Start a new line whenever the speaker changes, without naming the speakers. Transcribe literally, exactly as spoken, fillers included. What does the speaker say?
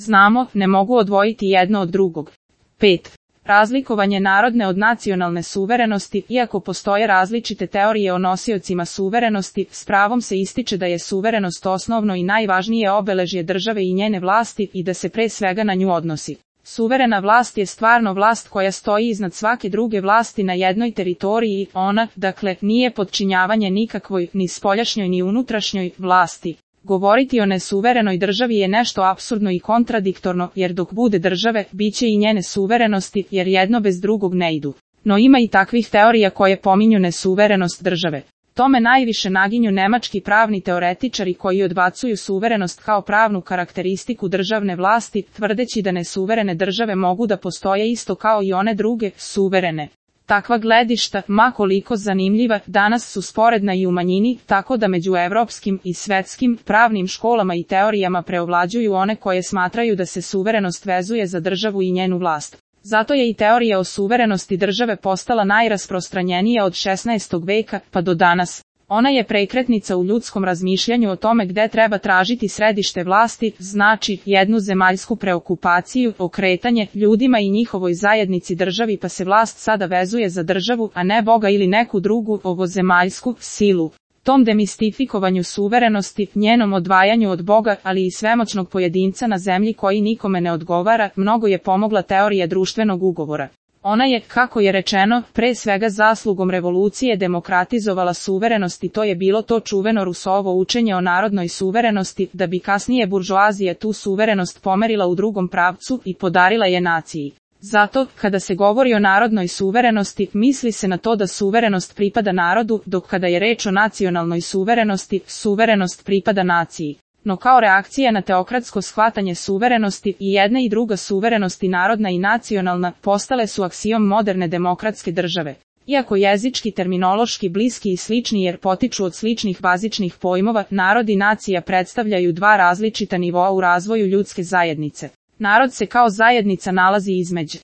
znamo, ne mogu odvojiti jedno od drugog. pet. Razlikovanje narodne od nacionalne suverenosti. Iako postoje različite teorije o nosiocima suverenosti, s pravom se ističe da je suverenost osnovno i najvažnije obeležje države i njene vlasti i da se pre svega na nju odnosi. Suverena vlast je stvarno vlast koja stoji iznad svake druge vlasti na jednoj teritoriji, ona, dakle, nije podčinjavanje nikakvoj, ni spoljašnjoj ni unutrašnjoj, vlasti. Govoriti o nesuverenoj državi je nešto apsurdno i kontradiktorno, jer dok bude države, bit će i njene suverenosti, jer jedno bez drugog ne idu. No ima i takvih teorija koje pominju nesuverenost države. Tome najviše naginju nemački pravni teoretičari koji odbacuju suverenost kao pravnu karakteristiku državne vlasti, tvrdeći da nesuverene države mogu da postoje isto kao i one druge, suverene. Takva gledišta, ma koliko zanimljiva, danas su sporedna i u manjini, tako da među evropskim i svetskim pravnim školama i teorijama preovlađuju one koje smatraju da se suverenost vezuje za državu i njenu vlast. Zato je i teorija o suverenosti države postala najrasprostranjenija od šesnaestog veka pa do danas. Ona je prekretnica u ljudskom razmišljanju o tome gde treba tražiti središte vlasti, znači jednu zemaljsku preokupaciju, okretanje ljudima i njihovoj zajednici državi, pa se vlast sada vezuje za državu, a ne Boga ili neku drugu ovozemaljsku silu. Tom demistifikovanju suverenosti, njenom odvajanju od Boga, ali i svemoćnog pojedinca na zemlji koji nikome ne odgovara, mnogo je pomogla teorija društvenog ugovora. Ona je, kako je rečeno, pre svega zaslugom revolucije demokratizovala suverenost i to je bilo to čuveno Rousseauovo učenje o narodnoj suverenosti, da bi kasnije buržoazija tu suverenost pomerila u drugom pravcu i podarila je naciji. Zato, kada se govori o narodnoj suverenosti, misli se na to da suverenost pripada narodu, dok kada je reč o nacionalnoj suverenosti, suverenost pripada naciji. No kao reakcija na teokratsko shvatanje suverenosti, i jedna i druga suverenost, i narodna i nacionalna, postale su aksiom moderne demokratske države. Iako jezički terminološki bliski i slični jer potiču od sličnih bazičnih pojmova, narod i nacija predstavljaju dva različita nivoa u razvoju ljudske zajednice. Narod se kao zajednica nalazi između